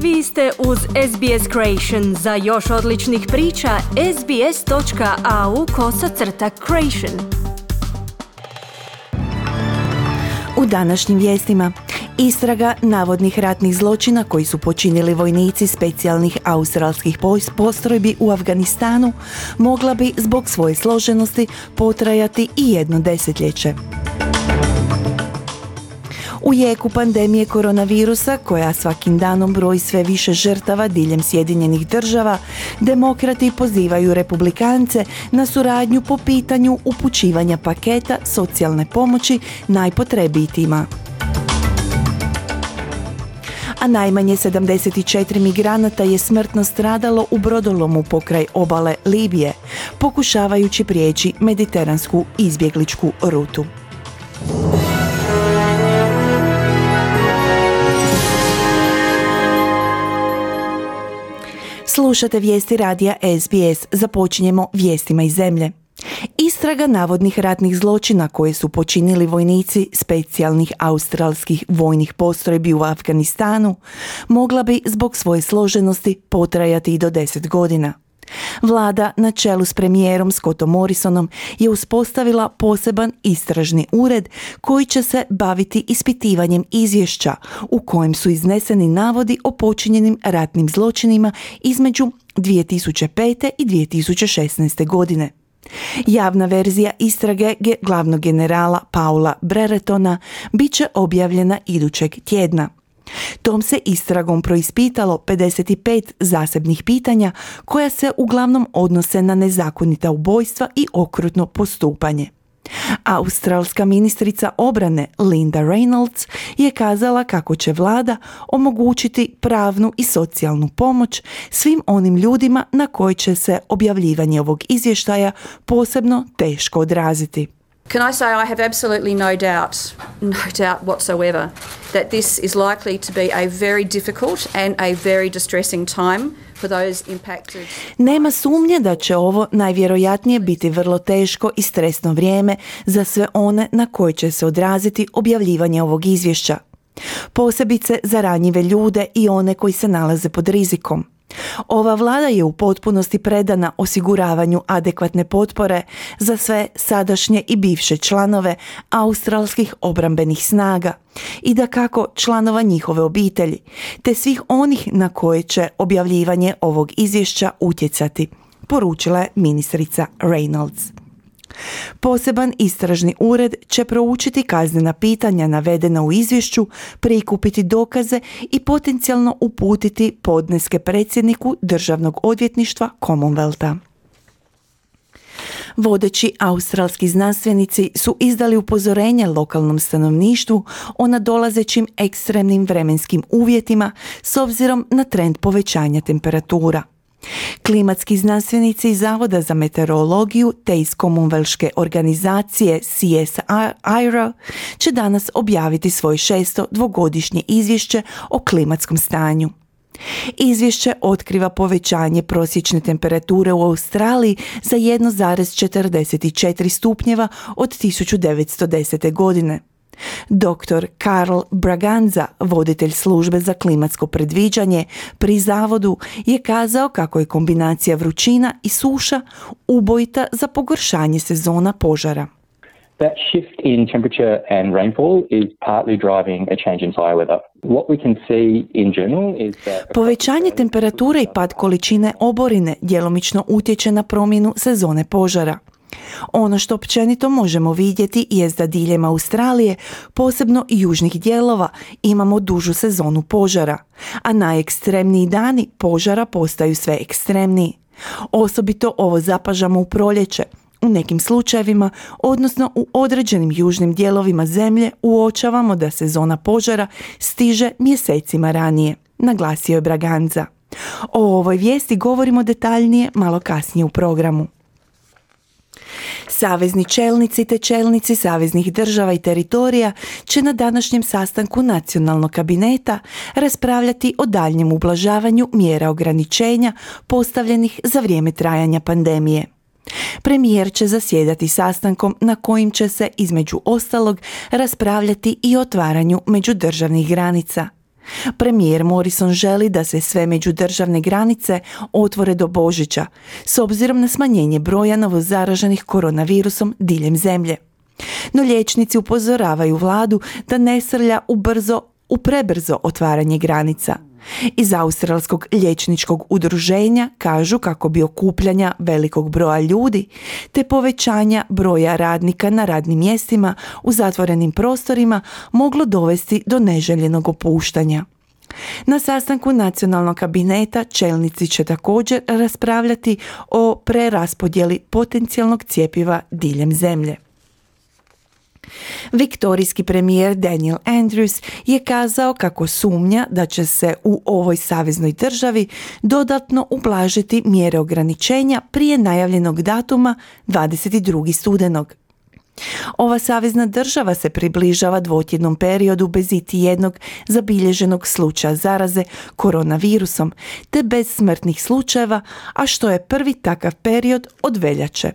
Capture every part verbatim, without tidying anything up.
Vi ste uz S B S Creation. Za još odličnih priča, sbs.au kosacrta creation. U današnjim vijestima, istraga navodnih ratnih zločina koji su počinili vojnici specijalnih australskih postrojbi u Afganistanu mogla bi zbog svoje složenosti potrajati i jedno desetljeće. U jeku pandemije koronavirusa, koja svakim danom broji sve više žrtava diljem Sjedinjenih država, demokrati pozivaju republikance na suradnju po pitanju upućivanja paketa socijalne pomoći najpotrebitijima. A najmanje sedamdeset četiri migranata je smrtno stradalo u brodolomu pokraj obale Libije, pokušavajući prijeći mediteransku izbjegličku rutu. Slušate vijesti radija S B S. Započinjemo vijestima iz zemlje. Istraga navodnih ratnih zločina koje su počinili vojnici specijalnih australskih vojnih postrojbi u Afganistanu mogla bi zbog svoje složenosti potrajati i do deset godina. Vlada na čelu s premijerom Scottom Morrisonom je uspostavila poseban istražni ured koji će se baviti ispitivanjem izvješća u kojem su izneseni navodi o počinjenim ratnim zločinima između dvije tisuće pete i dvije tisuće šesnaeste. godine. Javna verzija istrage glavnog generala Paula Breretona bit će objavljena idućeg tjedna. Tom se istragom proispitalo pedeset pet zasebnih pitanja koja se uglavnom odnose na nezakonita ubojstva i okrutno postupanje. Australska ministrica obrane Linda Reynolds je kazala kako će vlada omogućiti pravnu i socijalnu pomoć svim onim ljudima na koje će se objavljivanje ovog izvještaja posebno teško odraziti. Can I say I have absolutely no doubt, no doubt whatsoever, that this is likely to be a very difficult and a very distressing time for those impacted. Nema sumnje da će ovo najvjerojatnije biti vrlo teško i stresno vrijeme za sve one na koje će se odraziti objavljivanje ovog izvješća. Posebice za ranjive ljude i one koji se nalaze pod rizikom. Ova vlada je u potpunosti predana osiguravanju adekvatne potpore za sve sadašnje i bivše članove australskih obrambenih snaga i dakako članova njihove obitelji, te svih onih na koje će objavljivanje ovog izvješća utjecati, poručila je ministrica Reynolds. Poseban istražni ured će proučiti kaznena pitanja navedena u izvješću, prikupiti dokaze i potencijalno uputiti podneske predsjedniku Državnog odvjetništva Commonwealtha. Vodeći australski znanstvenici su izdali upozorenje lokalnom stanovništvu o nadolazećim ekstremnim vremenskim uvjetima s obzirom na trend povećanja temperatura. Klimatski znanstvenici iz Zavoda za meteorologiju te iz Commonwealthske organizacije C S I R O će danas objaviti svoje šesto dvogodišnje izvješće o klimatskom stanju. Izvješće otkriva povećanje prosječne temperature u Australiji za jedan zarez četrdeset četiri stupnjeva od tisuću devetsto desete. godine. doktor Carl Braganza, voditelj službe za klimatsko predviđanje pri zavodu, je kazao kako je kombinacija vrućina i suša ubojita za pogoršanje sezona požara. That shift in temperature and rainfall is partly driving a change in fire weather. What we can see in general is that Povećanje temperature i pad količine oborine djelomično utječe na promjenu sezone požara. Ono što općenito možemo vidjeti jest da diljem Australije, posebno i južnih dijelova, imamo dužu sezonu požara, a najekstremniji dani požara postaju sve ekstremniji. Osobito ovo zapažamo u proljeće. U nekim slučajevima, odnosno u određenim južnim dijelovima zemlje, uočavamo da sezona požara stiže mjesecima ranije, naglasio je Braganza. O ovoj vijesti govorimo detaljnije malo kasnije u programu. Savezni čelnici te čelnici saveznih država i teritorija će na današnjem sastanku nacionalnog kabineta raspravljati o daljnjem ublažavanju mjera ograničenja postavljenih za vrijeme trajanja pandemije. Premijer će zasjedati sastankom na kojim će se između ostalog raspravljati i o otvaranju međudržavnih granica. Premijer Morrison želi da se sve međudržavne granice otvore do Božića, s obzirom na smanjenje broja novozaraženih koronavirusom diljem zemlje. No liječnici upozoravaju vladu da ne srlja u brzo, u prebrzo otvaranje granica. Iz Australskog liječničkog udruženja kažu kako bi okupljanja velikog broja ljudi te povećanja broja radnika na radnim mjestima u zatvorenim prostorima moglo dovesti do neželjenog opuštanja. Na sastanku nacionalnog kabineta čelnici će također raspravljati o preraspodjeli potencijalnog cjepiva diljem zemlje. Viktorijski premijer Daniel Andrews je kazao kako sumnja da će se u ovoj saveznoj državi dodatno ublažiti mjere ograničenja prije najavljenog datuma dvadeset drugog studenog. Ova savezna država se približava dvotjednom periodu bez iti jednog zabilježenog slučaja zaraze koronavirusom te bez smrtnih slučajeva, a što je prvi takav period od veljače.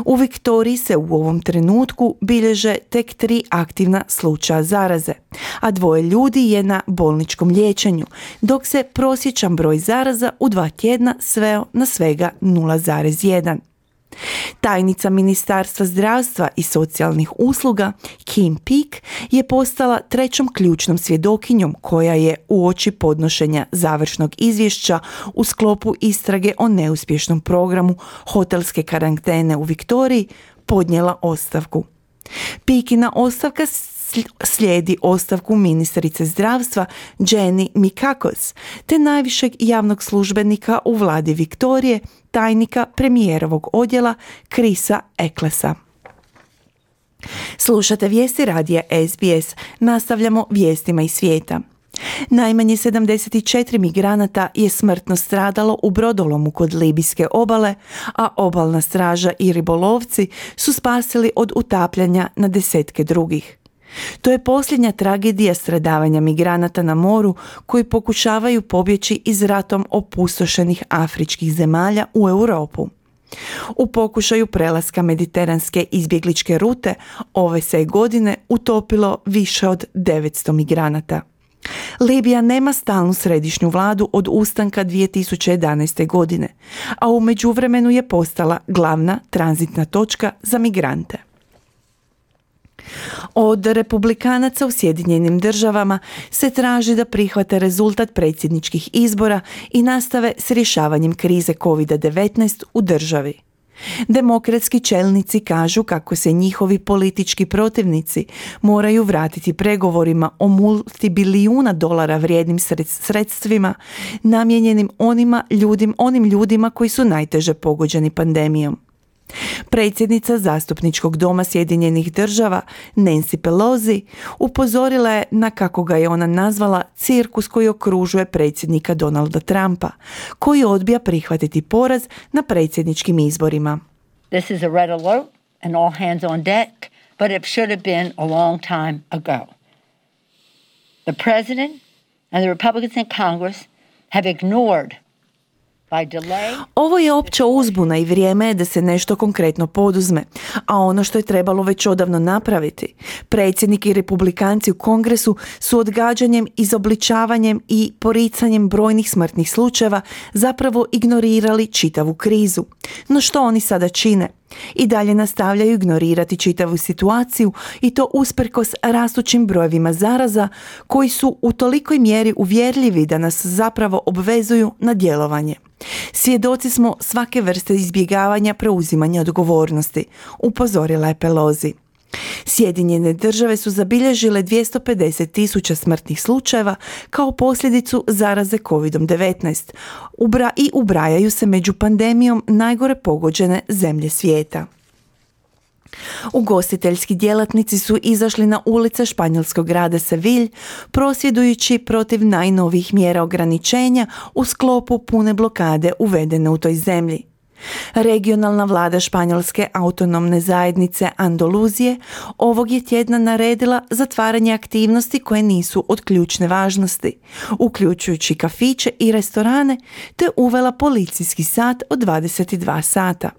U Viktoriji se u ovom trenutku bilježe tek tri aktivna slučaja zaraze, a dvoje ljudi je na bolničkom liječenju, dok se prosječan broj zaraza u dva tjedna sveo na svega nula zarez jedan. Tajnica Ministarstva zdravstva i socijalnih usluga Kim Peek je postala trećom ključnom svjedokinjom koja je uoči podnošenja završnog izvješća u sklopu istrage o neuspješnom programu hotelske karantene u Viktoriji podnijela ostavku. Peekina ostavka slijedi ostavku ministrice zdravstva Jenny Mikakos te najvišeg javnog službenika u vladi Viktorije, tajnika premijerovog odjela Chrisa Ecclesa. Slušate vijesti radija S B S, nastavljamo vijestima iz svijeta. Najmanje sedamdeset četiri migranata je smrtno stradalo u brodolomu kod libijske obale, a obalna straža i ribolovci su spasili od utapljanja na desetke drugih. To je posljednja tragedija stradavanja migranata na moru koji pokušavaju pobjeći iz ratom opustošenih afričkih zemalja u Europu. U pokušaju prelaska mediteranske izbjegličke rute ove se godine utopilo više od devetsto migranata. Libija nema stalnu središnju vladu od ustanka dvije tisuće jedanaeste. godine, a u međuvremenu je postala glavna tranzitna točka za migrante. Od republikanaca u Sjedinjenim državama se traži da prihvate rezultat predsjedničkih izbora i nastave s rješavanjem krize kovid devetnaest u državi. Demokratski čelnici kažu kako se njihovi politički protivnici moraju vratiti pregovorima o multibilijuna dolara vrijednim sredstvima namijenjenim onima ljudim, onim ljudima koji su najteže pogođeni pandemijom. Predsjednica zastupničkog doma Sjedinjenih država Nancy Pelosi upozorila je na, kako ga je ona nazvala, cirkus koji okružuje predsjednika Donalda Trumpa, koji odbija prihvatiti poraz na predsjedničkim izborima. This is a red alert and all hands on deck, but it should have been a long time ago. The president and the Republicans in Congress have ignored. Ovo je opća uzbuna i vrijeme je da se nešto konkretno poduzme, a ono što je trebalo već odavno napraviti. Predsjednik i republikanci u Kongresu su odgađanjem, izobličavanjem i poricanjem brojnih smrtnih slučajeva zapravo ignorirali čitavu krizu. No što oni sada čine? I dalje nastavljaju ignorirati čitavu situaciju i to usprkos rastućim brojevima zaraza koji su u tolikoj mjeri uvjerljivi da nas zapravo obvezuju na djelovanje. Svjedoci smo svake vrste izbjegavanja preuzimanja odgovornosti, upozorila je Pelosi. Sjedinjene države su zabilježile dvjesto pedeset tisuća smrtnih slučajeva kao posljedicu zaraze kovid devetnaest Ubra i ubrajaju se među pandemijom najgore pogođene zemlje svijeta. Ugostiteljski djelatnici su izašli na ulice španjolskog grada Seville prosvjedujući protiv najnovijih mjera ograničenja u sklopu pune blokade uvedene u toj zemlji. Regionalna vlada španjolske autonomne zajednice Andaluzije ovog je tjedna naredila zatvaranje aktivnosti koje nisu od ključne važnosti, uključujući kafiće i restorane, te uvela policijski sat od dvadeset dva sata.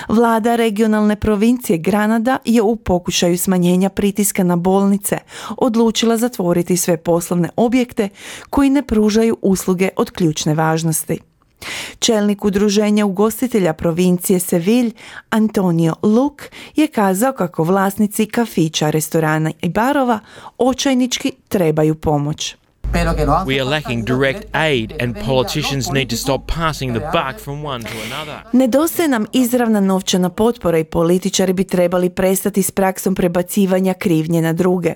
Vlada regionalne provincije Granada je u pokušaju smanjenja pritiska na bolnice odlučila zatvoriti sve poslovne objekte koji ne pružaju usluge od ključne važnosti. Čelnik udruženja ugostitelja provincije Seville, Antonio Luc, je kazao kako vlasnici kafića, restorana i barova očajnički trebaju pomoć. We are lacking direct aid and politicians need to stop passing the buck from one to another. Nedostaje nam izravna novčana potpora i političari bi trebali prestati s praksom prebacivanja krivnje na druge.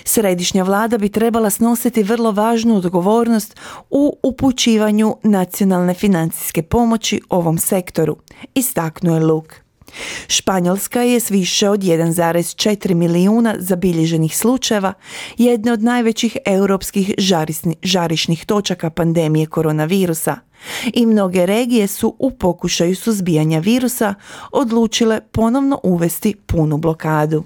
Središnja vlada bi trebala snositi vrlo važnu odgovornost u upućivanju nacionalne financijske pomoći ovom sektoru, istaknuo je Luc. Španjolska je s više od jedan zarez četiri milijuna zabilježenih slučajeva jedne od najvećih europskih žarisni, žarišnih točaka pandemije koronavirusa i mnoge regije su u pokušaju suzbijanja virusa odlučile ponovno uvesti punu blokadu.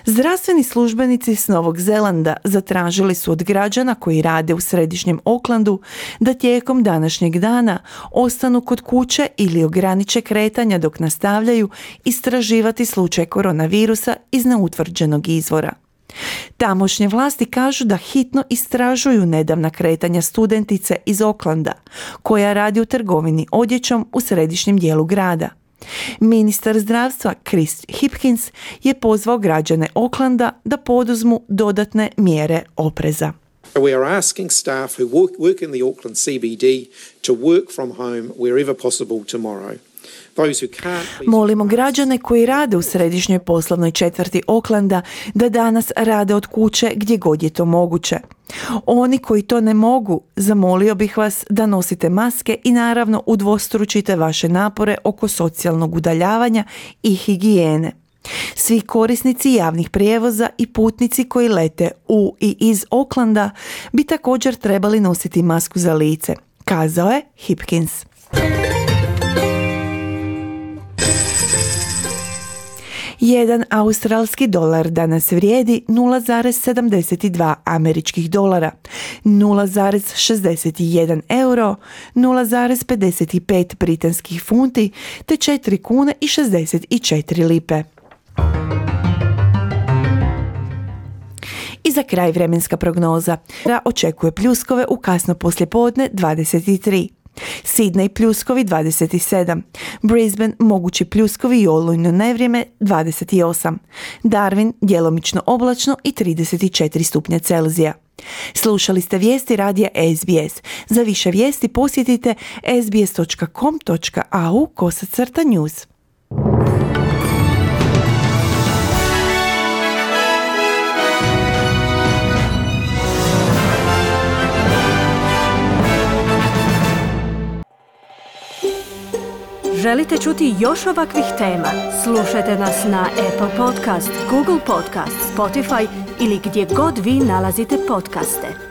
Zdravstveni službenici s Novog Zelanda zatražili su od građana koji rade u središnjem Aucklandu da tijekom današnjeg dana ostanu kod kuće ili ograniče kretanja dok nastavljaju istraživati slučaj koronavirusa iz neutvrđenog izvora. Tamošnje vlasti kažu da hitno istražuju nedavna kretanja studentice iz Aucklanda koja radi u trgovini odjećom u središnjem dijelu grada. Ministar zdravstva Chris Hipkins je pozvao građane Aucklanda da poduzmu dodatne mjere opreza. We are asking staff who work, work in the Auckland C B D to work from home wherever possible tomorrow. Those who can't... Molimo građane koji rade u središnjoj poslovnoj četvrti Aucklanda da danas rade od kuće gdje god je to moguće. Oni koji to ne mogu, zamolio bih vas da nosite maske i naravno udvostručite vaše napore oko socijalnog udaljavanja i higijene. Svi korisnici javnih prijevoza i putnici koji lete u i iz Aucklanda bi također trebali nositi masku za lice, kazao je Hipkins. Jedan australski dolar danas vrijedi nula zarez sedamdeset dva američkih dolara, nula zarez šezdeset jedan euro, nula zarez pedeset pet britanskih funti te četiri kune i šezdeset četiri lipe. I za kraj vremenska prognoza. Očekuje pljuskove u kasno poslijepodne dvadeset tri. Sydney pljuskovi dvadeset sedam, Brisbane mogući pljuskovi i olujno nevrijeme dvadeset osam, Darwin djelomično oblačno i trideset četiri stupnja Celzija. Slušali ste vijesti radija S B S. Za više vijesti posjetite s b s dot com dot a u kosacrta news. Želite čuti još ovakvih tema? Slušajte nas na Apple Podcast, Google Podcast, Spotify ili gdje god vi nalazite podcaste.